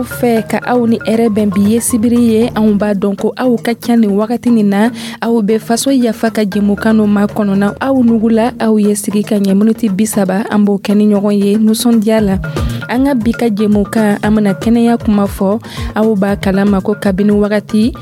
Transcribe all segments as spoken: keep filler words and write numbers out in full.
aw fɛ ka aw ni hɛrɛ bɛn. Bi ye sibiri ye. Anw b'a dɔn ko aw ka ca nin wagati nin na, aw bɛ Faso Yafa ka jɛmukan no ma kɔnɔna. Aw nugula, aw ye sigi ka ɲɛ miniti bi saba, an b'o kɛ ni ɲɔgɔn ye nisɔndiya la. An ka bi ka jɛmukan, an bena kɛnɛya kuma fɔ. Aw b'a kalama ko kabini wagati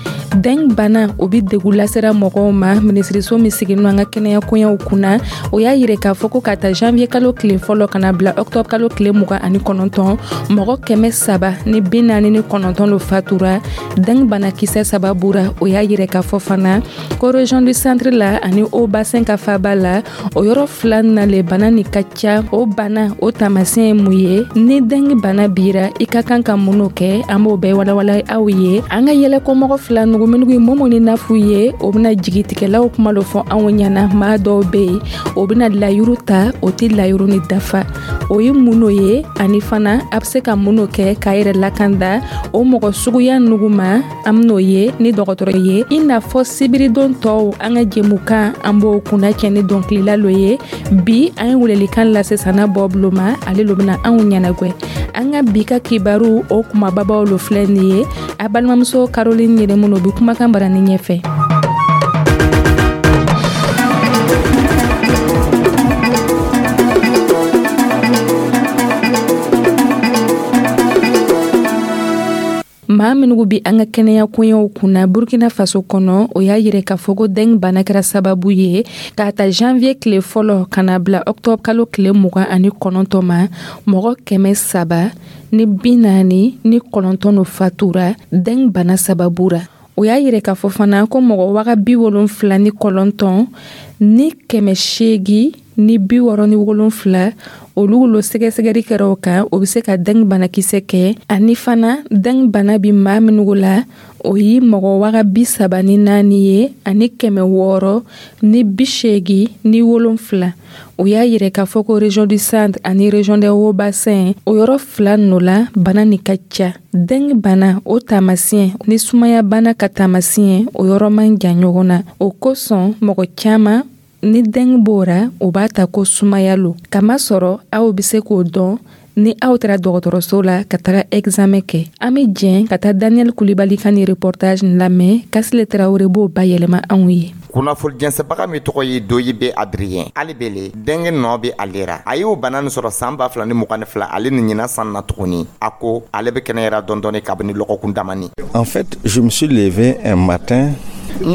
dengue bana o be degu lasera mɔgɔw ma. Minisiriso min siginin an ka kɛnɛya koɲɛw kunna, o y'a yire k'a fɔ ko ka ta janvier kalo tile fɔlɔ ka na bila octobre kalo tile mugan ani kɔnɔntɔn, mɔgɔ kɛmɛ saba ni bi naani ni kɔnɔntɔn lo fatura dengue banakisɛ sababu ra. O y'a yirɛ k'a fɔ fana ko région du Centre la ani Hauts-Bassins ka faba la, o yɔrɔ fila na le bana ni ka ca. O bana o taamasiyɛn ye mun ye? Ni dengue bana bira, i ka kan ka mun kɛ? An b'o bɛɛ walawala aw ye. An ka yɛlɛkɔmɔgɔ fila nugu minnu ye Momo ni Nafu ye, o bɛna jigitigɛlaw kuma dɔ fɔ anw ɲɛna. Maa dɔw bɛ yen, o bɛna layuru ta, o tɛ layuru ni dafa. O ye mun ye? Ani fana a bɛ se ka mun kɛ k'a yɛrɛ lakanda o mɔgɔ suguya nugu ma? An ben'o ye ni dɔgɔtɔrɔ ye. I n'a fɔ sibiridon tɔw, an ka jɛmukan, an b'o kunna cɛ ni dɔnkilila lo ye. Bi an ye welelikan lase Sana Bɔbulo ma, ale lo bɛna anw ɲɛnagwɛ. An ka bi ka kibaru o kumababaw lo filɛ nin ye. A balimamuso Caroline Yɛrɛmunu bi kumakan barani ɲɛfɛ. Maa minnu bi an ka kɛnɛya koɲɛw kunna Burkina Faso kɔnɔ, o y'a yirɛ k'a fɔ ko dengue bana kɛra sababu ye k'a ta janvier tile fɔlɔ ka na bila octobre kalo tile mugan ani kɔnɔntɔn ma, mɔgɔ kɛmɛ saba ni bi naani ni kɔnɔntɔn no fatura dengue bana sababu ra. O y'a yirɛ k'a fɔ fana ko mɔgɔ waga bi wolonfila ni kɔnɔntɔn ni kɛmɛ seegi ni bi wɔɔrɔ ni wolonfila, olu lo sɛgɛsɛgɛli kɛra o kan, o be se ka dengue banakisɛ kɛ. Ani fana dengue bana bi maa minnu la, o ye mɔgɔ waga bi saba ni naani ye ani kɛmɛ wɔɔrɔ ni bi seegi ni wolonfila. O y'a yirɛ k'a fɔ ko région du Centre ani région des Hauts-Bassins, o yɔrɔ fila nɔ la bana ni ka ca. Dengue bana o taamasiyɛn ni sumaya bana ka taamasiyɛn, o yɔrɔ man jan ɲɔgɔn na. O kosɔn mɔgɔ caaman ni dengue b'o o b'a ta ko sumaya lo. Kamasɔrɔ aw be se k'o dɔn ni aw taara dɔgɔtɔrɔso la ka taga examen kɛ. An be jɛn ka taa Daniel Kulibali ka ni reportage lamɛn. Kasile Tarawure b'o bayɛlɛma anw ye. Kunnafoni jɛnsɛbaga min tɔgɔ ye Doyibe Adrien, ale bele dengue nɔ bɛ ale ra. A y'o bana nin sɔrɔ san ba fila ni mugan ni fila, ale ni ɲinan san na tuguni. A ko ale bɛ kɛnɛyara dɔɔni kabini lɔgɔkun damani. En fait, je me suis levé un matin,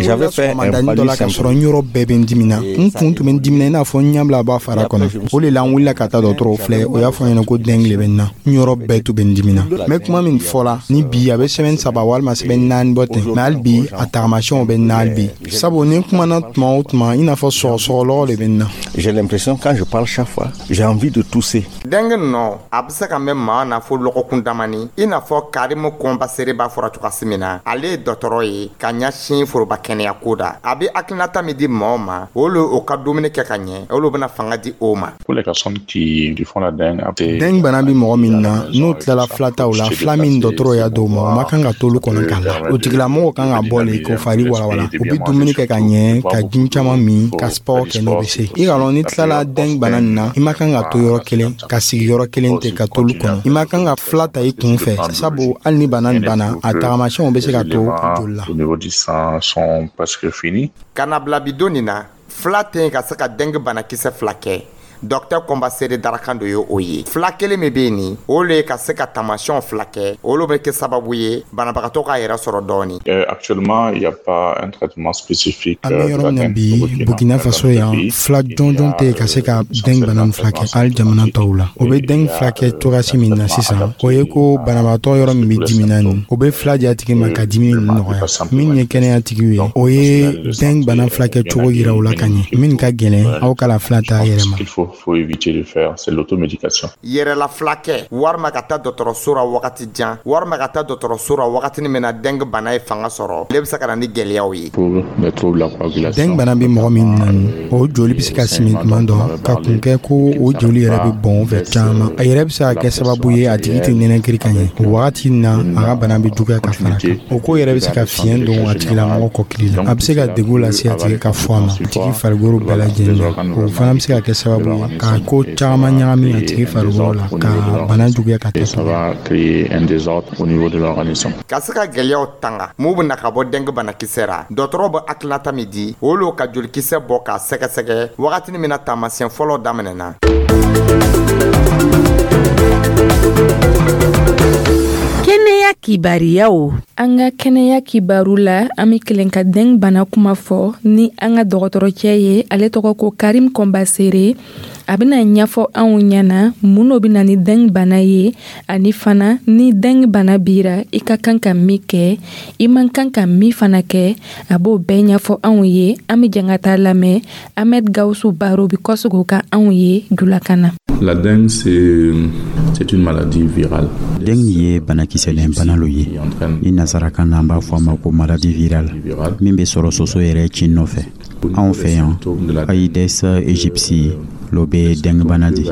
j'avais fait un dɔ la ka sɔrɔ n yɔrɔ bɛɛ bɛ n dimina. N kun tun bɛ n dimina i n'a fɔ n ɲɛ b'a fara kɔnɔ. O de la n wulila ka taa dɔgɔtɔrɔw filɛ. O y'a fɔ n ɲɛna ko dengue le bɛ n na. N yɔrɔ bɛɛ tun bɛ n dimina. N bɛ kuma min fɔ la ni bi, a bɛ semaine saba walima semaine naani bɔ ten, mais hali bi a tagamasiyɛnw bɛ n na hali bi, sabu ni n kumana tuma o tuma, i n'a fɔ sɔgɔsɔgɔlɔgɔ de bɛ n na. J'ai l'impression, quand je parle chaque fois, j'ai envie de tousser. Dengue nɔ a bɛ se ka mɛn maa na fo lɔgɔkun damani, i n'a fɔ Karimu Kɔnbasere b'a fɔra cogoya min na. Ale ye dɔgɔtɔrɔ ye ka ɲɛsin foroba kɛnɛya ko da. A bɛ hakilinata min di mɔgɔw ma, olu o ka dumuni kɛ ka ɲɛ, olu bɛna fanga di o ma. Dengue bana bɛ mɔgɔ min na, n'o tilala filataw la, fila min dɔgɔtɔrɔ y'a d'o ma, o ma kan ka t'olu kɔnɔ k'a la. O tigilamɔgɔ kan ka bɔ le k'o fari walawala. O bɛ dumuni kɛ ka ɲɛ, ka ji caman min, ka sport kɛ n'o bɛ se. I ka lɔn, ni tilala dengue bana nin na, i ma kan ka to yɔrɔ kelen, ka sigi yɔrɔ kelen ten ka t'olu kɔnɔ. I ma kan ka fila ta i kun fɛ, sabu hali ni bana nin banna, a tagamasiyɛnw bɛ se ka to joli la. Ka na bila bi don nin na, fila tɛ yen ka se ka dengue banakisɛ fila kɛ. Dɔkitɛr Kɔnbasere darakan dɔ ye o ye. Fila kelen min bɛ yen nin, o le ka se ka taamasiyɛnw fila kɛ, olu bɛ kɛ sababu ye banabagatɔ k'a yɛrɛ sɔrɔ dɔɔni. Actuellement, il y a pas un traitement spécifique. An bɛ yɔrɔ min na bi, Burkina Faso yan, fila jɔnjɔn tɛ yen ka se ka dengue bana nin furakɛ. Hali jamana tɔw la, o bɛ dengue furakɛ cogoyasi min na sisan, o ye ko banabaatɔ yɔrɔ min bɛ dimina nin, o bɛ fila di a tigi ma ka dimi ninnu nɔgɔya. Min ye kɛnɛya tigiw ye, o ye dengue bana furakɛ cogo yira u la ka ɲɛ. Min ka gɛlɛn, aw k'a la fila ta yɛrɛ ma. Faut éviter de faire, c'est l'automédication. Yɛrɛla filakɛ walima ka taa dɔgɔtɔrɔso ra wagati jan, walima ka taa dɔgɔtɔrɔso ra wagati min na dengue bana ye fanga sɔrɔ, ale bɛ se ka na ni gɛlɛyaw ye. Dengue bana bɛ mɔgɔ min na, o joli bɛ se ka simi tuma dɔ ka kun kɛ ko o joli yɛrɛ bɛ bɔn o fɛ caman. A yɛrɛ bɛ se ka kɛ sababu ye a tigi tɛ nɛnɛkiri ka ɲɛ. O wagati na, a ka bana bɛ juguya ka fara kan. O ko yɛrɛ bɛ se ka fiɲɛ don a tigilamɔgɔ kɔkili la. A bɛ se ka degun lase a tigi ka fɔ a ma, a tigi farikolo bɛɛ lajɛlen na. O fana bɛ se ka kɛ sababu ye ka ko caman ɲagami a tigi farikolo la, ka bana juguya ka taa. Ça va créer un désordre au niveau de l'organisme. Ka se ka gwɛlɛyaw tanga mun bena ka bɔ dengue banakisɛ ra, dɔgɔtɔrɔ bɛ hakilinata min di, o lo ka jolikisɛ bɔ k'a sɛgɛsɛgɛ wagatini min na taamasiyɛn fɔlɔ daminɛna. Kɛnɛya kibariyaw. An ka kɛnɛya kibaru la, an be kelen ka dengue bana kuma fɔ ni an ka dɔgɔtɔrɔcɛ ye. Ale tɔgɔ ko Karim Kɔnbasere. A bena ɲɛfɔ anw ɲɛna mun no bena ni dengue bana ye, ani fana ni dengue bana bira, i ka kan ka min kɛ, i man kan ka min fana kɛ, a b'o bɛɛ ɲɛfɔ anw ye. An be jɛn ka taa lamɛn Ahmed Gawusu Baro bi kɔseg'o kan anw ye julakan na. La dengue, c'est, c'est une maladie virale. Dengue ye banakisɛlen bana lo ye. Ni nasarakan na, an b'a fɔ a ma ko maladie virale min bɛ sɔrɔ soso yɛrɛ cin nɔfɛ. Anw fɛ yan, Aedes aegypti lo bɛ dengue bana di.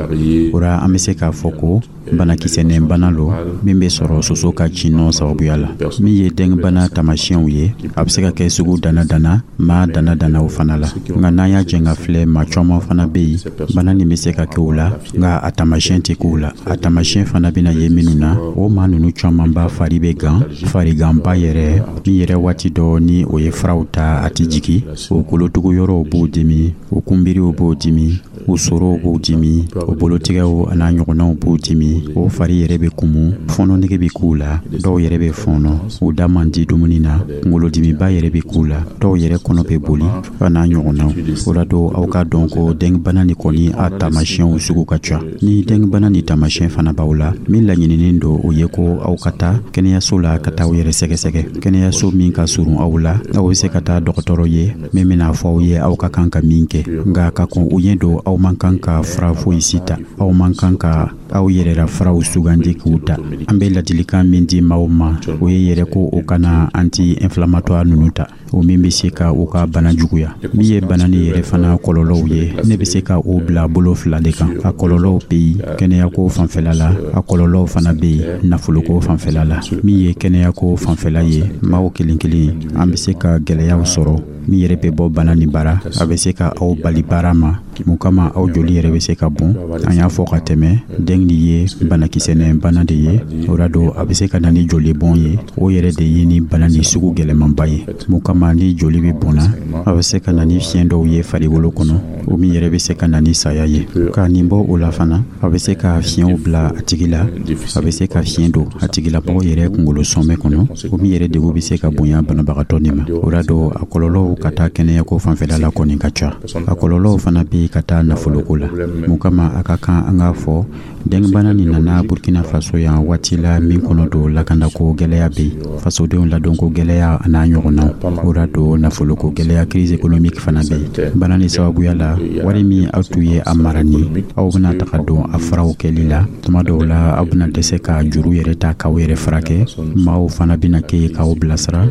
O ra, an bɛ se k'a fɔ ko banakisɛnɛ bana lo min bɛ sɔrɔ soso ka cinnɔ sababuya la. Min ye dengue bana taamasiyɛnw ye, a bɛ se ka kɛ sugu dana dana maa dana dana o fana la. Nka n'an y'a jɛn ka filɛ, maa caman fana bɛ yen, bana nin bɛ se ka kɛ o la, nka a taamasiyɛn tɛ k'o la. A taamasiyɛn fana bɛna ye minnu na, o maa ninnu caman ba fari bɛ gan, fariganba yɛrɛ min yɛrɛ waati dɔ ni o ye furaw ta, a tɛ jigin. O kolotugu yɔrɔw b'o dimi, o kunbiriw b'o dimi, o sorow b'o dimi, o bolotigɛw an'a ɲɔgɔnnaw b'o dimi, o fari yɛrɛ bɛ kumu, fɔɔnɔnege bɛ k'u la, dɔw yɛrɛ bɛ fɔɔnɔ, u da man di dumuni na, kunkolodimiba yɛrɛ bɛ k'u la, dɔw yɛrɛ kɔnɔ bɛ boli a n'a ɲɔgɔnnaw. O la don, aw k'a dɔn ko dengue bana nin kɔni, a taamasiyɛnw sugu ka ca. Ni dengue bana ni taamasiyɛn fana b'aw la, min laɲininen don, o ye ko aw ka taa kɛnɛyaso la ka taa aw yɛrɛ sɛgɛsɛgɛ. Kɛnɛyaso min ka surun aw la, aw bɛ se ka taa dɔgɔtɔrɔ ye min bɛna fɔ aw ye aw ka kan ka min kɛ. Nka ka kɔn o ɲɛ don, aw man kan ka fura foyi si ta, aw man kan ka aw yɛrɛ la furaw sugandi k'u ta. An bɛ ladilikan min di maaw ma, o ye yɛrɛ ko o kana anti-inflammatoire ninnu ta, o min bɛ se ka u ka bana juguya. Min ye bana ni yɛrɛ fana kɔlɔlɔw ye, ne bɛ se ka o bila bolo fila de kan. A kɔlɔlɔw bɛ yen kɛnɛyako fanfɛla la, a kɔlɔlɔw fana bɛ yen nafoloko fanfɛla la. Min ye kɛnɛyako fanfɛla ye, maaw kelen kelen an bɛ se ka gɛlɛyaw sɔrɔ min yɛrɛ bɛ bɔ bana nin bara. A bɛ se ka aw bali baara ma, mun kama aw joli yɛrɛ bɛ se ka bɔn. An y'a fɔ ka tɛmɛ, dengue nin ye banakisɛnɛ bana de ye. O la don, a bɛ se ka na ni joli bɔn ye. O yɛrɛ de ye ni bana nin sugu gɛlɛmanba ye. Mun kama ni joli bɛ bɔnna, a bɛ se ka na ni fiɲɛ dɔw ye farikolo kɔnɔ, o min yɛrɛ bɛ se ka na ni saya ye. Ka nin bɔ o la fana, a bɛ se ka fiɲɛw bila a tigi la, a bɛ se ka fiɲɛ don a tigilamɔgɔ yɛrɛ kunkolo sɔnmɛ kɔnɔ, o min yɛrɛ degun bɛ se ka bonya banabagatɔ nin ma. O la don, a kɔlɔlɔw ka taa kɛnɛyako fanfɛla la kɔni ka ca. A kɔlɔlɔw fana bɛ ka taa nafoloko la. Mun kama a ka kan an k'a fɔ, dengue bana nin nana Burkina Faso yan waati la min kɔnɔ don, lakanako gɛlɛya bɛ yen, fasodenw ladonko gɛlɛya a n'a ɲɔgɔnnaw. O la don, nafoloko gɛlɛya, crise économique fana bɛ yen. Bana nin sababuya la, wari min aw tun ye a mara ni aw bɛna taga don a furaw kɛli la, tuma dɔw la aw bɛna dɛsɛ ka juru yɛrɛ ta k'aw yɛrɛ furakɛ. Maaw fana bɛna kɛ yen k'aw bilasira.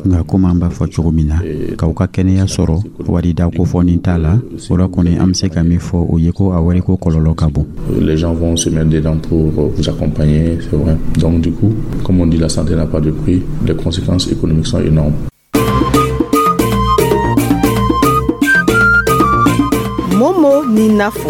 Nka komi an b'a fɔ cogo min na, k'aw ka kɛnɛya sɔrɔ, wari da kofɔni t'a la. O la kɔni, an bɛ se ka min fɔ, o ye ko a wariko kɔlɔlɔ ka bon. Les gens vont se mettre dedans pour vous accompagner, c'est vrai. Donc du coup, comme on dit, la santé n'a pas de prix, les conséquences économiques sont énormes. Momo ni Nafo.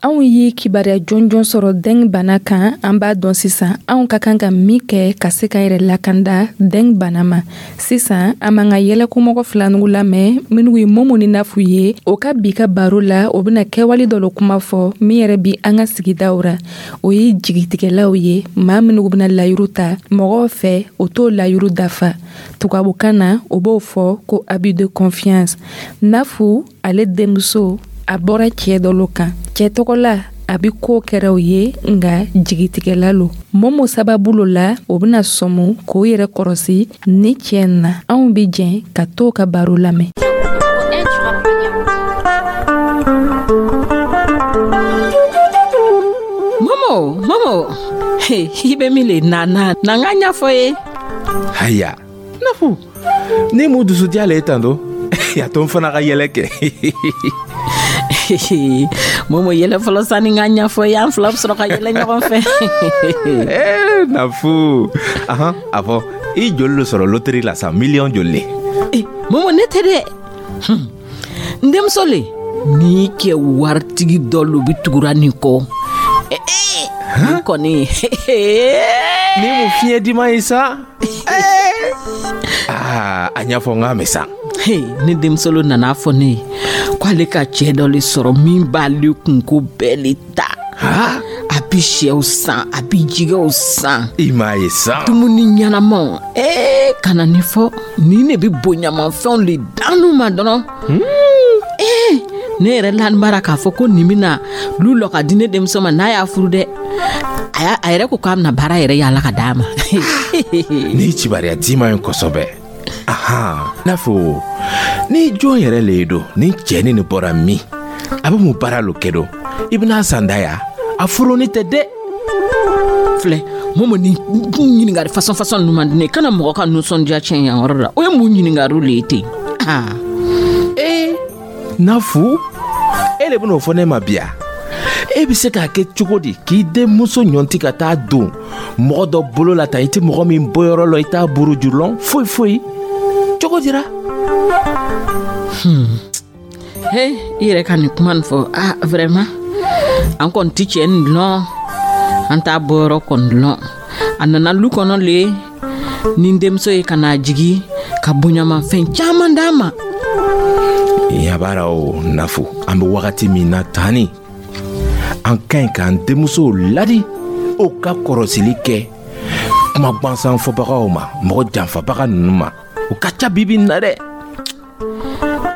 Anw ye kibaruya jɔnjɔn sɔrɔ dengue bana kan. An b'a dɔn sisan anw ka kan ka min kɛ ka se ka yɛrɛ lakanda dengue bana ma. Sisan an b'an ka yɛlɛkomɔgɔ filanugu lamɛn minnu ye Momo ni Nafu ye. O ka bi ka baro la, o bɛna kɛwale dɔ lo kuma fɔ min yɛrɛ bi an ka sigidaw ra. O ye jigitigɛlaw ye, maa minnu bɛna layiru ta mɔgɔw fɛ, o t'o layiru dafa. Tubabukan na, o b'o fɔ ko abus de confiance. Nafu ale denmuso, a bɔra cɛɛ dɔ lo kan. Cɛ tɔgɔ la, a bi ko kɛra o ye, nga jigitigɛla lo. Momo sababu lo la, o bɛna sɔmu k'o yɛrɛ kɔrɔsi ni cɛ na. Anw bi jɛn ka t'o ka baro lamɛn. Momo, Momo, he, i bɛ min le na na na n ka ɲɛfɔ ye. Haya, Nafu, ni mun dusu diya le ye tan do? A to n fana ka yɛlɛ kɛ. Momo, yɛlɛ fɔlɔ sani n ka ɲɛfɔ ye, an fila bɛ sɔrɔ ka yɛlɛ ɲɔgɔn fɛ. Eh, Nafu, ahan, a fɔ i joli lo sɔrɔ loterie la sa, miliyɔn joli le? Eh, Momo, ne tɛ dɛ. Hmm. N denmuso le. Ni kɛ waritigi dɔ lo bi tugura nin kɔ. Nin kɔni. Ni mun fiɲɛ dima ye sa? Aa, a ɲɛfɔ n k'a mɛn sa. Ne denmuso lo nana fɔ ne ye ko ale ka cɛ dɔ le sɔrɔ min b'ale kunko bɛɛ le ta. A bi sɛw san, a bi jɛgɛw san. I m'a ye sa. Dumuni ɲɛnamaw. Ee, kana nin fɔ. Nin de bi bonyamafɛnw le d'anu ma dɔrɔn. Ee, ne yɛrɛ lanibara k'a fɔ ko nin bɛna lu lɔ ka di ne denmuso ma n'a y'a furu dɛ. A a yɛrɛ ko k'a bɛna baara yɛrɛ yaala ka d'a ma. Ni kibaruya d'i ma ye kosɛbɛ. Ahan, n'a fɔ ni jɔn yɛrɛ le ye don ni cɛnin nin bɔra min, a bɛ mun baara lo kɛ don? I bɛna san da ya? A furuni tɛ dɛ. Filɛ, Momo, ni ɲininkali fasɔn fasɔn ninnu man di ne ye. Kana mɔgɔ ka nisɔndiya tiɲɛ yan yɔrɔ la. O ye mun ɲininkaliw le ye ten? Aa. Ee, Nafu, e de bɛn'o fɔ ne ma bi ya? E bɛ se k'a kɛ cogo di k'i denmuso ɲɔnti ka taa don mɔgɔ dɔ bolo la tan, i tɛ mɔgɔ min bɔyɔrɔ lɔ, i t'a buruju lɔn foyi foyi, cogo dira? Hmm. He, i yɛrɛ ka nin kuma nin fɔ, ah, vraiment, an kɔni ti cɛ nin lɔn, an t'a bɔyɔrɔ kɔni lɔn. A nana lu kɔnɔ le ni n denmuso ye ka n'a jigi ka bonyamafɛn caman d'a ma. Yabara o Nafu, an bɛ wagati min na tani, an ka ɲi k'an denmusow ladi o ka kɔrɔsili kɛ kuma gwansan fɔbagaw ma, mɔgɔ janfabaga ninnu ma. O ka ca bibi in na dɛ.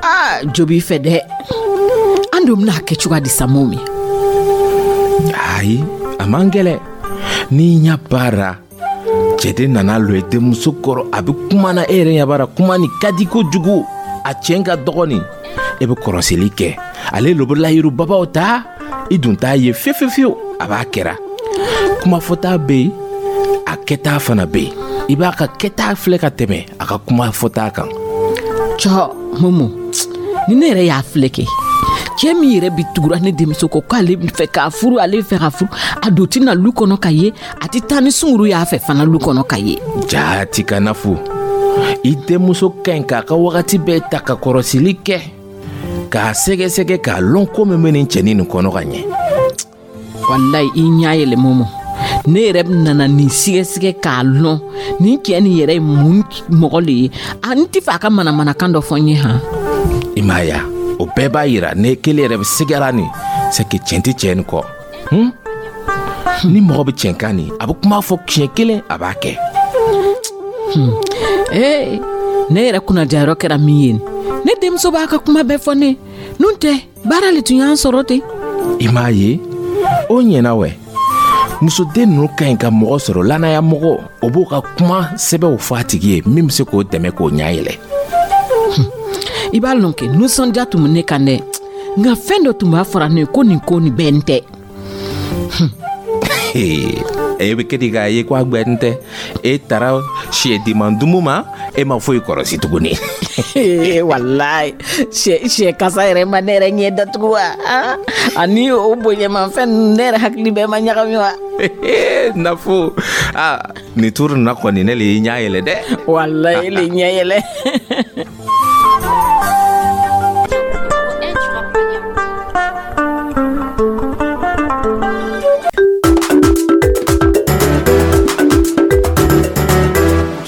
Aa, jo b'i fɛ dɛ. An dun bɛna kɛ cogoya di sa, Momi? Ayi, a man gɛlɛ. N'i ɲɛ baara cɛden nana lɔ i denmuso kɔrɔ, a bɛ kuma na, e yɛrɛ ɲɛ b'a kuma nin ka di kojugu, a cɛn ka dɔgɔnin, e bɛ kɔrɔsili kɛ. Ale lo bɛ layiru babaw ta, i dun t'a ye fiyewu fiyewu fiyewu. A b'a kɛra kuma fɔta bɛ yen, a kɛta fana bɛ yen. I b'a ka kɛta filɛ ka tɛmɛ a ka kuma fɔta kan. Cɔ, Momo, ni ne yɛrɛ y'a filɛ kɛ, cɛ min yɛrɛ bi tugura ne denmuso kɔ k'ale fɛ k'a furu, ale fɛ ka furu, a don tɛna lu kɔnɔ ka ye, a tɛ taa ni sunguru y'a fɛ fana lu kɔnɔ ka ye. Jaati ka Nafu, i denmuso ka ɲi k'a ka wagati bɛɛ ta ka kɔrɔsili kɛ, k'a sɛgɛsɛgɛ, k'a lɔn ko min bɛ nin cɛnin nin kɔnɔ ka ɲɛ. Walayi, i ɲɛ yɛlɛ, Momo. Ne yɛrɛ nana nin sɛgɛsɛgɛ k'a lɔn nin cɛ nin yɛrɛ ye mun mɔgɔ le ye. A n tɛ fɛ a ka manamanakan dɔ fɔ n ye han. I m'a ye, o bɛɛ b'a yira ne kelen yɛrɛ bɛ sigara nin, c'est que tiɲɛ tɛ cɛ nin kɔ. Hmm? Ni mɔgɔ bɛ tiɲɛ kan nin, a bɛ kuma fɔ siɲɛ kelen, a b'a kɛ. Hmm. Ee, ne yɛrɛ kunnadiyayɔrɔ kɛra min ye, ne denmuso b'a ka kuma bɛɛ fɔ ne n'o tɛ, baara le tun y'an sɔrɔ ten. I m'a ye, o ɲɛna wɛ. Musoden ninnu ka ɲi ka mɔgɔ sɔrɔ, lanaya mɔgɔ, o b'o ka kuma sɛbɛw fɔ a tigi ye min bɛ se k'o dɛmɛ k'o ɲɛ yɛlɛ. I b'a lɔn kɛ, nisɔndiya tun bɛ ne kan dɛ, nka fɛn dɔ tun b'a fɔra ne ye ko nin ko nin bɛɛ n tɛ. E bɛ kɛ di k'a ye ko a gbɛn tɛ? E taara siyɛdiman dumu ma, e ma foyi kɔrɔsi tuguni. Walayi, sɛ sɛ kasa yɛrɛ ma ne yɛrɛ ɲɛ datugu wa, ani o bonyamafɛn ninnu, ne yɛrɛ hakili bɛɛ ma ɲagami wa. Nafu, aa, nin turu nin na kɔni, ne le y'i ɲɛ yɛlɛ dɛ. Walayi, e le ɲɛ yɛlɛ.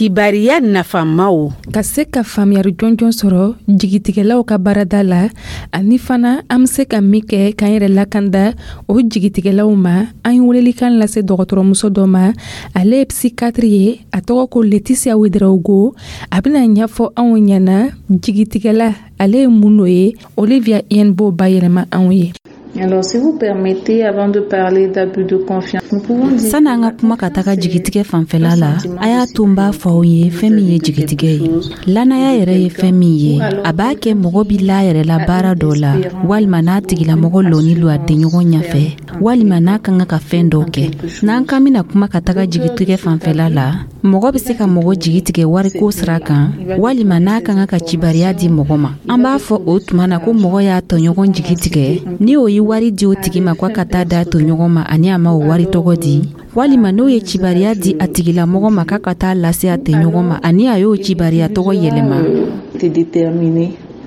Kibariya nafamaw. Ka se ka faamuyari jɔnjɔn sɔrɔ jigitigɛlaw ka baarada la, ani fana an be se ka min kɛ k'an yɛrɛ lakanda o jigitigɛlaw ma, an ye welelikan lase dɔgɔtɔrɔmuso dɔ ma. Ale ye psychiatre ye, a tɔgɔ ko Laetitia Ouedraogo. A bɛna ɲɛfɔ anw ɲɛna jigitigɛla ale ye mun n'o ye. Olivia Yen b'o bayɛlɛma anw ye. Alors, si vous permettez, avant de parler d'abus de confiance, nous pouvons dire Sani an ka kuma ka taga jigitigɛ fanfɛla la, a y'a to n b'a fɔ aw ye fɛn min ye jigitigɛ ye. Lannaya yɛrɛ ye fɛn min ye, a b'a kɛ mɔgɔ bi la yɛrɛ la baara dɔ la, walima n'a tigilamɔgɔ lɔni lo a denɲɔgɔn ɲɛfɛ, walima n'a ka kan ka fɛn dɔ kɛ. N'an k'an bɛna kuma ka taga jigitigɛ fanfɛla la, mɔgɔ bɛ se ka mɔgɔ jigi tigɛ wariko sira kan, walima n'a ka kan ka cibariya di mɔgɔ ma. An b'a fɔ o tuma na ko mɔgɔ y'a tɔɲɔgɔn jigi tigɛ ni o ye wari di o tigi ma k'a ka taa d'a tɔɲɔgɔn ma, ani a ma o wari tɔgɔ di, walima n'o ye cibariya di a tigilamɔgɔ ma k'a ka taa lase a tɔɲɔgɔn ma, ani a y'o cibariya tɔgɔ yɛlɛma.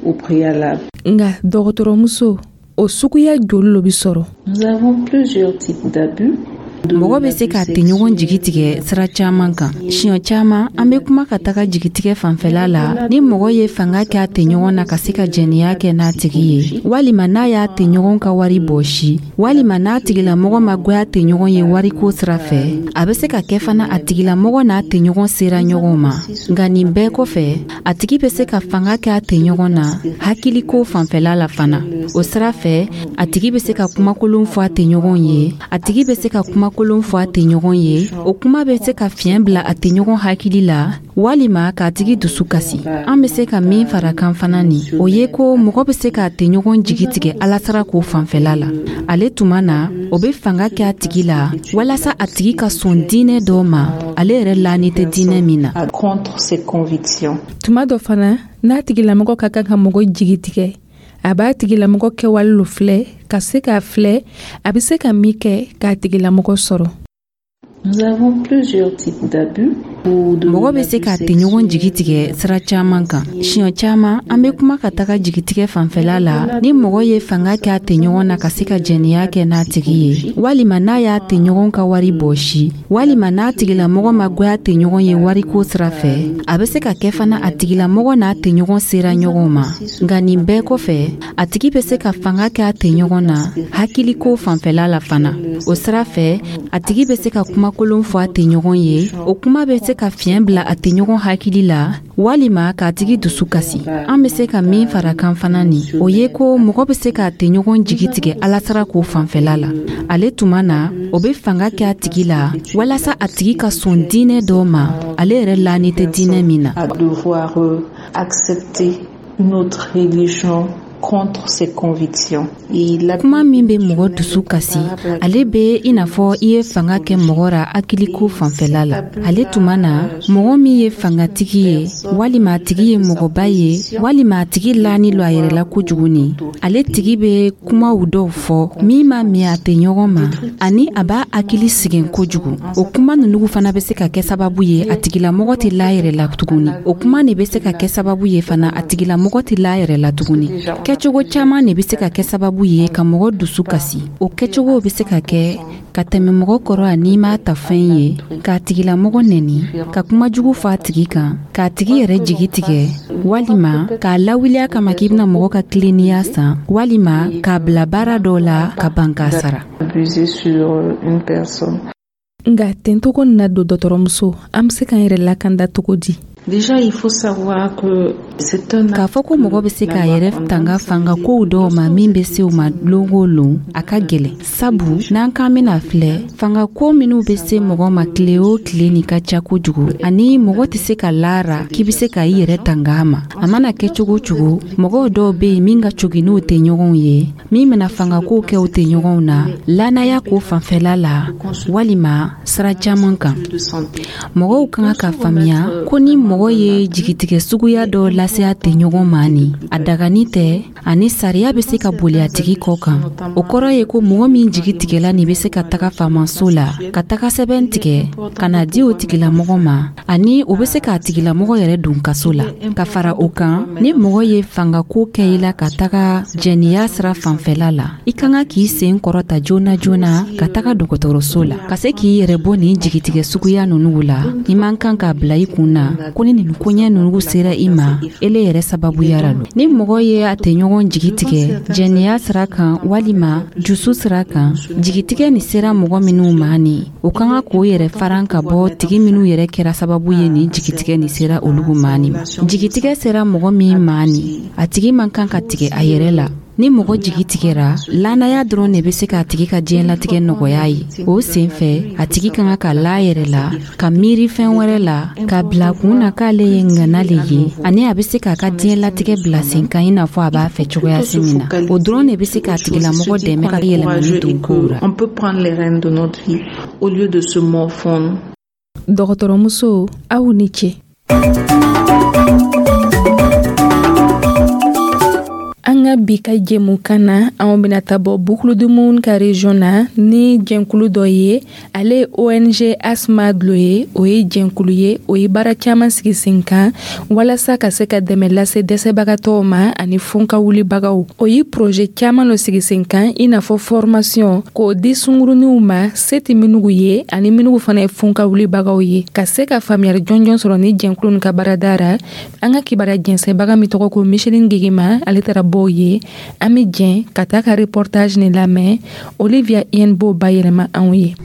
au préalable. Nka dɔgɔtɔrɔmuso, o suguya joli lo bɛ sɔrɔ? Nous avons plusieurs types d'abus. Mɔgɔ bɛ se k'a tɛɲɔgɔn jigi tigɛ sira caman kan. Siɲɛ caman, an bɛ kuma ka taga jigitigɛ fanfɛla la, ni mɔgɔ ye fanga kɛ a tɛɲɔgɔn na ka se ka jɛnɛya kɛ n'a tigi ye, walima n'a y'a tɛɲɔgɔn ka wari bɔsi, walima n'a tigilamɔgɔ ma goya tɛɲɔgɔn ye wariko sira fɛ. A bɛ se ka kɛ fana, a tigilamɔgɔ n'a tɛɲɔgɔn sera ɲɔgɔn ma. Nka nin bɛɛ kɔfɛ, a tigi bɛ se ka fanga kɛ a tɛɲɔgɔn na hakiliko fanfɛla la fana. O sira fɛ, a tigi bɛ se ka kumakolon fɔ a tɛɲɔgɔn ye a tigi bɛ se ka kuma kolon fɔ a tɛɲɔgɔn ye. O kuma bɛ se ka fiɲɛ bila a tɛɲɔgɔn hakili la, walima k'a tigi dusu kasi. An bɛ se ka min fara kan fana nin, o ye ko mɔgɔ bɛ se k'a tɛɲɔgɔn jigi tigɛ alasara ko fanfɛla la. Ale tuma na, o bɛ fanga kɛ a tigi la walasa a tigi ka sɔn diinɛ dɔ ma, ale yɛrɛ lani tɛ diinɛ min na. Tuma dɔ fana, n'a tigilamɔgɔ ka kan ka mɔgɔ jigi tigɛ, a b'a tigilamɔgɔ kɛwale lo filɛ ka se k'a filɛ a bɛ se ka min kɛ k'a tigilamɔgɔ sɔrɔ. Nous avons plusieurs types d'abus. Mɔgɔ bɛ se k'a tɛɲɔgɔn jigi tigɛ sira caman kan. Siɲɛ caman, an bɛ kuma ka taga jigitigɛ fanfɛla la, ni mɔgɔ ye fanga kɛ a tɛɲɔgɔn na ka se ka jɛnɛya kɛ n'a tigi ye, walima n'a y'a tɛɲɔgɔn ka wari bɔsi, walima n'a tigilamɔgɔ ma goya tɛɲɔgɔn ye wariko sira fɛ. A bɛ se ka kɛ fana, a tigilamɔgɔ n'a tɛɲɔgɔn sera ɲɔgɔn ma. Nka nin bɛɛ kɔfɛ, a tigi bɛ se ka fanga kɛ a tɛɲɔgɔn na hakiliko fanfɛla la fana. O sira fɛ, a tigi bɛ se ka kumakolon fɔ a tɛɲɔgɔn ye. O kuma bɛ se ka fiɲɛ bila a tɛɲɔgɔn hakili la, walima k'a tigi dusu kasi. An bɛ se ka min fara kan fana nin, o ye ko mɔgɔ bɛ se k'a tɛɲɔgɔn jigi tigɛ alasara ko fanfɛla la. Ale tuma na, o bɛ fanga kɛ a tigi la walasa a tigi ka sɔn diinɛ dɔ ma, ale yɛrɛ lani tɛ diinɛ min na. Accepter une autre religion contre ses convictions. Kuma min bɛ mɔgɔ dusu kasi, ale bɛ i n'a fɔ i ye fanga kɛ mɔgɔ ra hakiliko fanfɛla la. Ale tuma na, mɔgɔ min ye fangatigi ye, walima a tigi ye mɔgɔba ye, walima a tigi lani lo a yɛrɛ la kojugu ni, ale tigi bɛ kumaw dɔw fɔ min ma min a tɛ ɲɔgɔn ma, ani a b'a hakili sɛgɛn kojugu. O kuma ninnu fana bɛ se ka kɛ sababu ye, a tigilamɔgɔ tɛ la yɛrɛ la tuguni. O kuma de bɛ se ka kɛ sababu ye fana, a tigilamɔgɔ tɛ la yɛrɛ la tuguni. Kɛcogo caman de bɛ se ka kɛ sababu ye ka mɔgɔ dusu kasi. O kɛcogo bɛ se ka kɛ ka tɛmɛ mɔgɔ kɔrɔ a n'i m'a ta fɛn ye, k'a tigilamɔgɔ nɛni, ka kuma jugu fɔ a tigi kan, k'a tigi yɛrɛ jigi tigɛ, walima k'a lawuli a kama k'i bɛna mɔgɔ ka tilennenya san, walima k'a bila baara dɔw la ka ban k'a sara. Nka tencogo na don, dɔgɔtɔrɔmuso, an bɛ se k'an yɛrɛ lakanda cogo di? Déjà, il faut savoir que c'est un K'a fɔ ko mɔgɔ bɛ se k'a yɛrɛ tanga fanga kow dɔw ma min bɛ se u ma lon o lon, a ka gɛlɛn, sabu n'an k'an bɛna filɛ, fanga ko minw bɛ se mɔgɔ ma tile o tile nin ka ca kojugu, ani mɔgɔ tɛ se ka laara k'i bɛ se ka i yɛrɛ tanga a ma. A mana kɛ cogo cogo, mɔgɔw dɔw bɛ yen min ka cogi n'u tɛ ɲɔgɔn ye, min bɛna fangakow kɛ u tɛ ɲɔgɔnw na lanaya ko fanfɛla la, walima sira caman kan. Mɔgɔw kan ka faamuya ko ni mɔgɔ ye jigitigɛ suguya dɔ lase a tɛ ɲɔgɔn ma ni, a dagani tɛ, ani sariya bɛ se ka boli a tigi kɔ kan. O kɔrɔ ye ko mɔgɔ min jigi tigɛla nin bɛ se ka taga faamaso la ka taga sɛbɛn tigɛ ka na di o tigilamɔgɔ ma, ani o bɛ se k'a tigilamɔgɔ yɛrɛ don kaso la. Ka fara o kan, ni mɔgɔ ye fangako kɛ i la ka taga jɛniya sira fanfɛla la, i ka kan k'i sen kɔrɔta joona joona ka taga dɔgɔtɔrɔso la ka se k'i yɛrɛ bɔ nin jigitigɛ suguya ninnu la. I man kan k'a bila i kun na ko ni nin koɲɛ ninnu sera i ma, ele yɛrɛ sababuyara lo. Ni mɔgɔ ye a tɛ ɲɔgɔn jigi tigɛ jɛniya sira kan walima dusu sira kan, jigitigɛ nin sera mɔgɔ minnu ma ni, o kan ka k'o yɛrɛ faran ka bɔ tigi minnu yɛrɛ kɛra sababu ye nin jigitigɛ nin sera olu ma nin ma. Jigitigɛ sera mɔgɔ min ma nin, a tigi man kan ka tigɛ a yɛrɛ la. Ni mɔgɔ jigi tigɛra, lanaya dɔrɔn de bɛ se k'a tigi ka diɲɛlatigɛ nɔgɔya ye. O sen fɛ, a tigi ka kan ka la yɛrɛ la, ka miiri fɛn wɛrɛ la, k'a bila kun na k'ale ye ŋana le ye, ani a bɛ se k'a ka diɲɛlatigɛ bila sen kan i n'a fɔ a b'a fɛ cogoya si min na. O dɔrɔn de bɛ se k'a tigilamɔgɔ dɛmɛ ka yɛlɛmani don kow la. On peut prendre les rênes de notre vie au lieu de se morfondre. Dɔgɔtɔrɔmuso, aw ni ce. An ka bi ka jɛmukan na, anw bɛna ta bɔ Boucle du Mouhoun ka région na ni jɛnkulu dɔ ye. Ale ye O N G Asma Dlo ye. O ye jɛnkulu ye, o ye baara caman sigi sen kan walasa ka se ka dɛmɛ lase dɛsɛbagatɔw ma ani funka wulibagaw. O ye projet caman lo sigi sen kan, i n'a fɔ formation k'o di sunguruniw ma, se tɛ minnu ye ani minnu fana ye funka wulibagaw ye, ka se ka faamuyali jɔnjɔn sɔrɔ ni jɛnkulu nin ka baarada ra. An ka kibaruya jɛnsɛnbaga min tɔgɔ ko Micheline Gegema, ale taara bɔ ye. An bɛ jɛn ka taa ka reportage nin lamɛn. Olivia Yen b'o bayɛlɛma anw ye.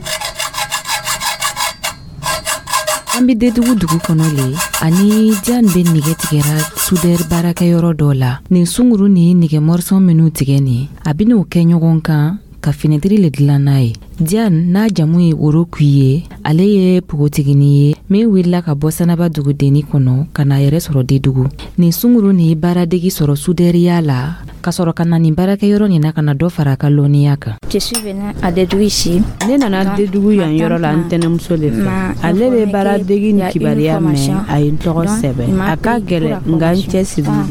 An bɛ Dedugu dugu kɔnɔ le, ani Diane bɛ nɛgɛ tigɛra soudeur baarakɛyɔrɔ dɔ la. Nin sunguru ni nɛgɛ morceau minnu tigɛ nin, a bɛn'o kɛ ɲɔgɔn kan ka finɛtiri le dilan n'a ye. Diane n'a jamu ye Woro Kui ye, ale ye npogotigini ye min wulila ka bɔ Sanaba dugudenni kɔnɔ ka n'a yɛrɛ sɔrɔ Dedugu. Nin sunguru nin ye baaradegi sɔrɔ sudeuriya la, ka sɔrɔ ka na nin baarakɛyɔrɔ nin na ka na dɔ fara a ka lɔnniya kan. Ne nana Dedugu yan yɔrɔ la n tɛnɛmuso de fɛ. Ale bɛ baaradegi ni kibaruya mɛn, a ye n tɔgɔ sɛbɛn. A ka gɛlɛn, nka n cɛsirilen.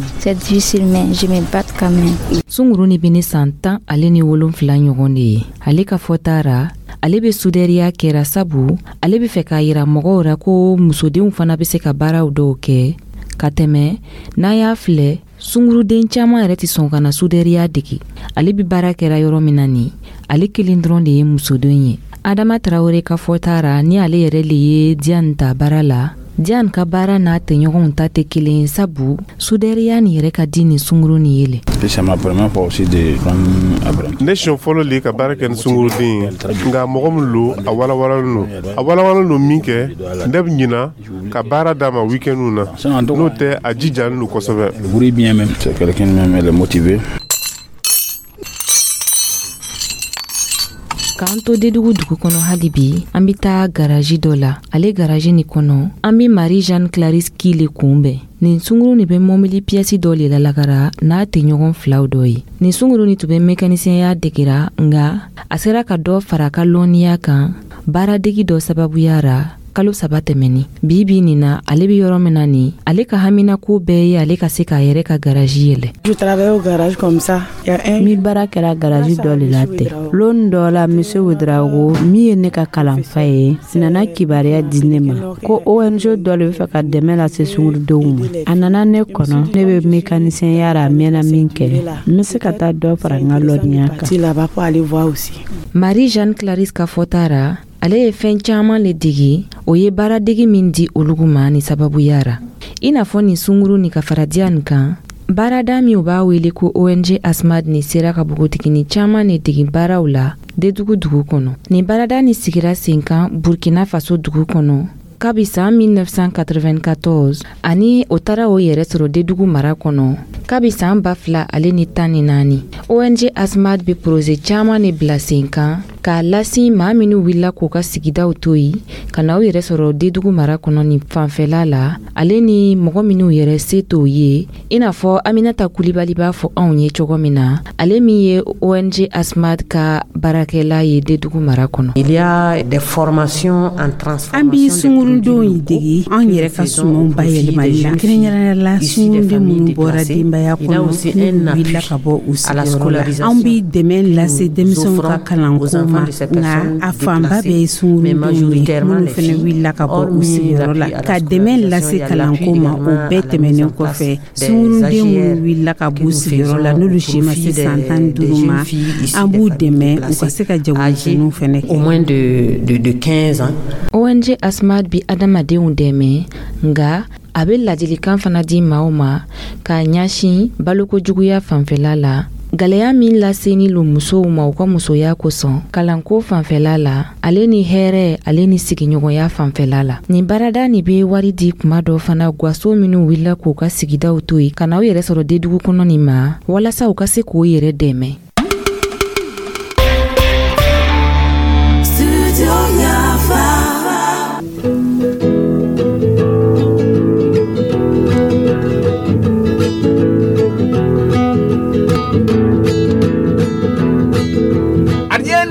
Sunguru ni bɛ ne san tan ale ni wolonfila ɲɔgɔn de ye. Ale ka fɔta ra, ale bɛ sudeuriya kɛra sabu ale bɛ fɛ k'a yira mɔgɔw ra ko musodenw fana bɛ se ka baaraw dɔw kɛ ka tɛmɛ. N'a y'a filɛ, sunguruden caman yɛrɛ tɛ sɔn ka na sudeuriya dege. Ale bɛ baara kɛra yɔrɔ min na nin, ale kelen dɔrɔn de ye musoden ye. Adama Tarawele ka fɔta ra, ni ale yɛrɛ le ye Diane ta baara la, Diane ka baara n'a tɛɲɔgɔnw ta tɛ kelen, sabu sudeuriya nin yɛrɛ ka di nin sunguru nin ye le. Ne siɲɛ fɔlɔ le ka baara kɛ ni sunguruden ye, nka mɔgɔ min lo, a walawalalen don, a walawalalen don min kɛ, ne bɛ ɲina ka baara d'a ma week-end na, n'o tɛ a jijalen don kosɛbɛ. K'an to Dedugu dugu kɔnɔ hali bi, an bɛ taa garaji dɔ la. Ale garaji nin kɔnɔ, an bɛ Marie Jeanne Clarisse Ki le kunbɛn. Nin sunguru nin bɛ mɔbili piyɛsi dɔ le lalakara n'a tɛɲɔgɔn filaw dɔ ye. Nin sunguru nin tun bɛ mekanisiyɛnya degera, nka a sera ka dɔ fara a ka lɔnniya kan baaradegi dɔ sababuya ra kalo saba tɛmɛni. Bi bi nin na, ale bɛ yɔrɔ min na nin, ale ka haminako bɛɛ ye ale ka se k'a yɛrɛ ka garaji yɛlɛ. N bɛ baara kɛra garaji dɔ le la ten. Lon dɔ la, Monsieur Ouedraogo, min ye ne ka kalanfa ye, nana kibaruya di ne ma ko O N G dɔ le bɛ fɛ ka dɛmɛ lase sungurudenw ma. A nana ne kɔnɔ, ne bɛ mekanisiyɛnya ra, a mɛnna min kɛ, n bɛ se ka taa dɔ fara n ka lɔnniya kan. Marie Jeanne Clarisse ka fɔta ra, ale ye fɛn caman le degi. O ye baaradegi min di olugu ma ni sababuya ra, i n'a fɔ nin sunguru ni ka fara Diane kan, baarada min u b'a wele ko O N G Asmad ni sera ka npogotigini caman le degi baaraw la Dedugu dugu kɔnɔ. Nin baarada ni sigira sen kan Burkina Faso dugu kɔnɔ kabi san mille neuf cent quatre-vingt-quatorze, ani o taara o yɛrɛ sɔrɔ Dedugu mara kɔnɔ kabi san ba fila ale ni tan ni naani. O N G Asmad bɛ projet caman de bila sen kan k'a lasi maa minnu wulila k'u ka sigidaw to yen ka na u yɛrɛ sɔrɔ Dedugu mara kɔnɔ nin fanfɛla la, ale ni mɔgɔ minnu yɛrɛ se t'o ye, i n'a fɔ Aminata Kulibali b'a fɔ anw ye cogo min na, ale min ye O N G Asmad ka baarakɛla ye Dedugu mara kɔnɔ. Il y a des formations en transformation. An bɛ sungurudenw in dege an yɛrɛ ka sumanw bayɛlɛmali la, kɛrɛnkɛrɛnnenya la sunguruden minnu bɔra denbaya kɔnɔ n'u wulila ka bɔ u sigiyɔrɔ la. An bɛ dɛmɛ lase denmisɛnw ka kalanko ma, nka a fanba bɛɛ ye sungurudenw ye minnu fana wulila ka bɔ u sigiyɔrɔ la. Ka dɛmɛ lase kalanko ma, o bɛɛ tɛmɛnen kɔfɛ, sunguruden minnu wulila ka bɔ u sigiyɔrɔ la n'olu si ma se san tan ni duuru ma, an b'u dɛmɛ u ka se ka jagomisɛnninw fana kɛ. Au moins de de de quinze ans. O N G Asmad bi adamadenw dɛmɛ, nka a bɛ ladilikan fana di maaw ma k'a ɲɛsin balokojuguya fanfɛla la, gɛlɛya min laseni lo musow ma u ka musoya kosɔn, kalanko fanfɛla la, ale ni hɛrɛ ale ni sigiɲɔgɔnya fanfɛla la. Nin baarada nin bɛ wari di kuma dɔ fana gaso minnu wulila k'u ka sigidaw to yen ka na u yɛrɛ sɔrɔ Dedugu kɔnɔ nin ma, walasa u ka se k'u yɛrɛ dɛmɛ.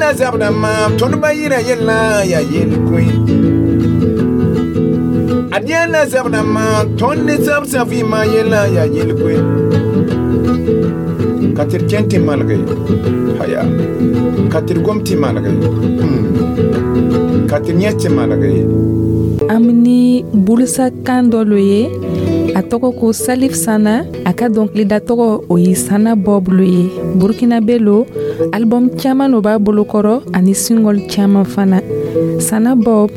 Zabda ma tõnd ba yɩra yella yaa yel-koe ad yẽla zabda ma tõnd ne zab sã vɩɩmã yella yaa yel-koe. Ka tɩ d kẽn tɩ malge, haya, ka tɩ d gom tɩ malge, ka tɩ d yẽ tɩ malge. An ni bulisa kan dɔ lo ye, a tɔgɔ ko Salif Sana. A ka dɔnkilida tɔgɔ, o ye Sana Bob lo ye. Burkinabe lo. Album caman lo b'a bolokɔrɔ ani single caman fana. Sana Bob,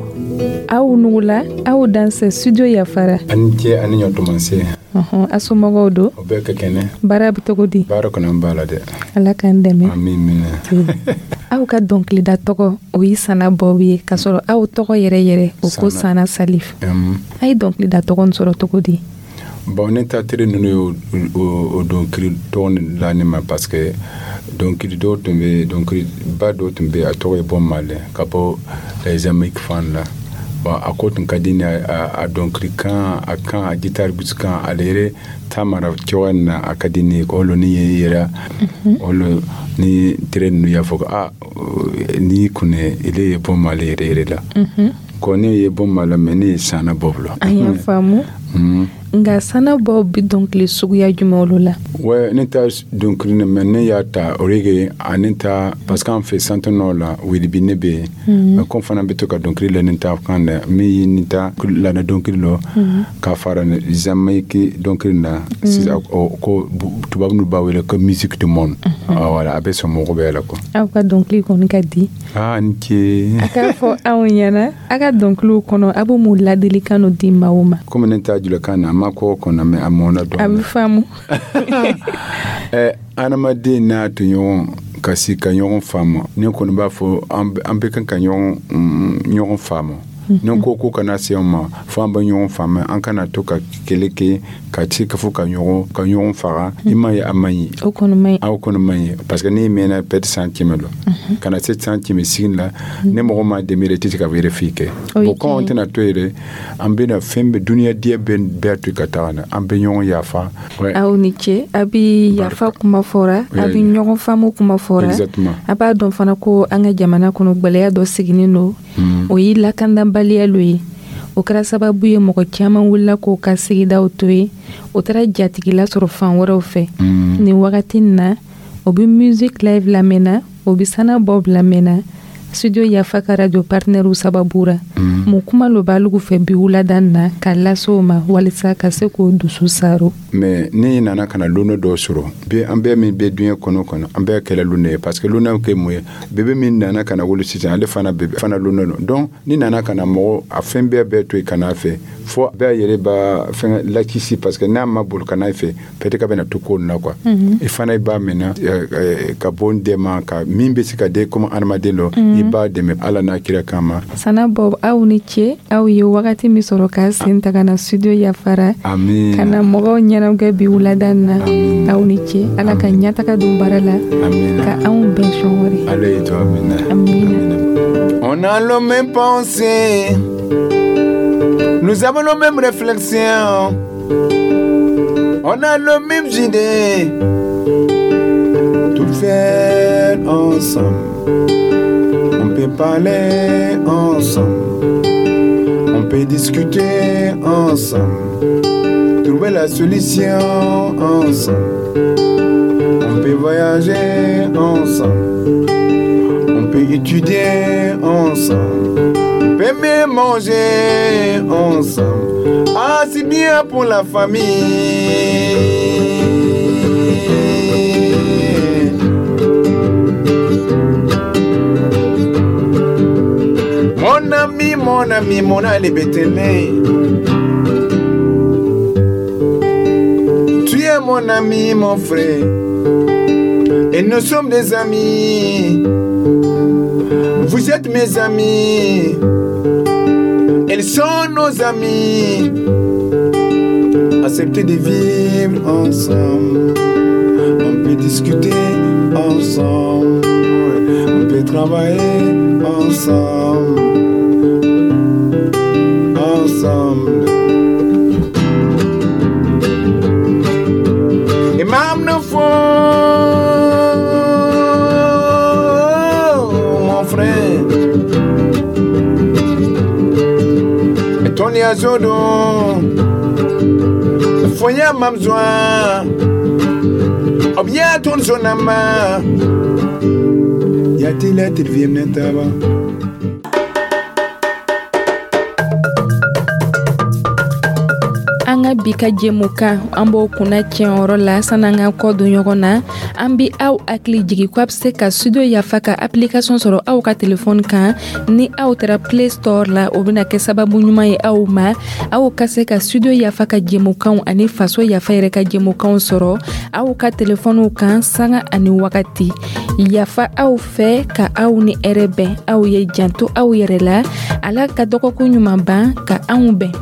aw nugula, aw dansɛ Studio Yafara. Ani ce, ani ɲɔtɔmanse. Ɔhɔn, a somɔgɔw don? O bɛɛ ka kɛnɛ. Baara bɛ cogo di? Baara kɔni, an b'a la dɛ. Ala k'an dɛmɛ. Amin, minɛ. Aw ka dɔnkilida tɔgɔ, o ye Sana Bob ye, k'a sɔrɔ aw tɔgɔ yɛrɛ yɛrɛ, o ko Sana Salif. A ye dɔnkilida tɔgɔ nin sɔrɔ cogo di? Bon, ne ta teri ninnu ye o dɔnkili tɔgɔ la ne ma, parce que dɔnkili dɔw tun bɛ, dɔnkili ba dɔw tun bɛ, a tɔgɔ ye Bob Marley, ka bɔ Jamaïque fan la. Bon, a ko tun ka di ne a dɔnkili kan, a kan, a guitare gosi kan, ale yɛrɛ ta mara cogoya min na, a ka di ne ye. O lo ni ye yɛrɛ, o lo ni tere ninnu y'a fɔ ko a n'i kunɛ ile ye Bob Marley yɛrɛ yɛrɛ la. Ko ne ye Bob Marley, mais ne ye Sana Bob la. An y'a faamu, nka Sana Bob bi dɔnkili suguya jumɛn olu la? Ouais, ne ta dɔnkili ne, mais ne y'a ta reggae ani ta, parce que an fɛ Centre Nord la, wilibi ne bɛ yen, mais comme fana bɛ to ka dɔnkili la ne ta kan dɛ, min ye ne ta lana dɔnkili lɔ ka fara Jamaïque dɔnkili na sisan, ko tubabu ninnu b'a wele ko musique du monde. Voilà, a bɛ sɔn mɔgɔ bɛɛ la quoi. Aw ka dɔnkili kɔni ka di. Ah, ni ce. A k'a fɔ anw ɲɛna, a ka dɔnkiliw kɔnɔ, a bɛ mun ladilikan di maaw ma? Komi ne ta julakan na, a ma kɔ kɔnɔ, mais a mɔnna dɔɔnin. A bɛ faamu. Ɛ, adamaden n'a tɔɲɔgɔn ka si ka ɲɔgɔn faamu, ne kɔni b'a fɔ an bɛ kan ka ɲɔgɔn ɲɔgɔn faamu. Ne ko ko kana se an ma fo an bɛ ɲɔgɔn faamu, an kana to ka kɛlɛ kɛ, ka ci ka fɔ ka ɲɔgɔn ka ɲɔgɔn faga. I m'a ye, a man ɲi. O kɔni man ɲi. Aw kɔni man ɲi, parce que n'i mɛnna peut-être san kɛmɛ lɔ ka na se san kɛmɛ sigin la, ne mɔgɔ ma dɛmɛ yɛrɛ, i tɛ se ka wɛrɛ foyi kɛ. Bon, comme an tɛna to yɛrɛ, an bɛna fɛn bɛɛ, duniya diɲɛ bɛɛ bɛɛ to ka taga na, an bɛ ɲɔgɔn yafa. Aw ni ce. A bɛ yafa kuma fɔra, a bɛ ɲɔgɔn faamu kuma fɔra. A b'a dɔn fana ko an ka jamana kɔnɔ, gwɛlɛya dɔ sigilen don, o ye lakanabaliya lo ye. O kɛra sababu ye, mɔgɔ caman wulila k'o ka sigidaw to yen, o taara jatigila sɔrɔ fan wɛrɛw fɛ. Nin wagati in na, o bɛ musique live lamɛnna, o bɛ Sana Bob lamɛnna Studio Yafa ka radio partenaire sababu ra. Mun kuma lo b'alugu fɛ bi wulada na ka lase o ma, walisa ka se k'o dusu saro? Mais ne nana ka na lona dɔw sɔrɔ bi, an bɛɛ min bɛ diɲɛ kɔnɔ kɔnɔ, an bɛɛ kɛla lona ye, parce que lona kɛ mun ye? Bébé min nana ka na wolo sisan, ale fana bébé fana lona don. Donc ni nana ka na mɔgɔ a fɛn bɛɛ bɛɛ to yen ka n'a fɛ, fo bɛɛ yɛrɛ b'a fɛn lakisi, parce que n'a ma boli ka n'a fɛ, peut-être ka bɛna to ko nin na quoi. I fana i b'a minɛ ka bɔ n dɛmɛ ka min bɛ se ka den comme adamaden dɔ, i b'a dɛmɛ Ala n'a kira kama. Sana Bob, aw ni ce. Aw ye wagati min sɔrɔ k'a sen ta ka na Studio Yafara ka na mɔgɔw ɲɛnagɛ bi wulada na, aw ni ce. Ala ka ɲɛtaga don baara la, ka anw bɛn sɔn wɛrɛ. Ala ye to, amina. Amina. On a le même pensée, nous avons nos mêmes réflexions, on a le même idée, tout faire ensemble. On peut parler ensemble, on peut discuter ensemble, trouver la solution ensemble. On peut voyager ensemble, on peut étudier ensemble, on peut même manger ensemble. Ah, c'est bien pour la famille. Mon ami, mon ami, mon Ali Betele. Tu es mon ami, mon frère. Et nous sommes des amis. Vous êtes mes amis. Ils sont nos amis. Acceptez de vivre ensemble. On peut discuter ensemble. On peut travailler ensemble. Ensemble. Et même nos faux, mon frère. Et ton liaison, Fo yaa mam zoa b yaa tõnd zo-nambã yaa tɩ la tɩ d vɩɩm ne taaba. An ka bi ka jɛmukan, an b'o kunna tiɲɛyɔrɔ la. Sanni an ka kɔ don ɲɔgɔn na, an bi aw hakili jigi ko a bɛ se ka Studio Yafa ka application sɔrɔ aw ka telefɔni kan ni aw taara Play Store la. O bɛna kɛ sababu ɲuman ye aw ma, aw ka se ka Studio Yafa ka jɛmukanw ani Faso Yafa yɛrɛ ka jɛmukanw sɔrɔ aw ka telefɔniw kan sanga ani wagati. Yafa aw fɛ ka aw ni hɛrɛ bɛn. Aw ye janto aw yɛrɛ la. Ala ka dɔgɔkun ɲuman ban ka anw bɛn.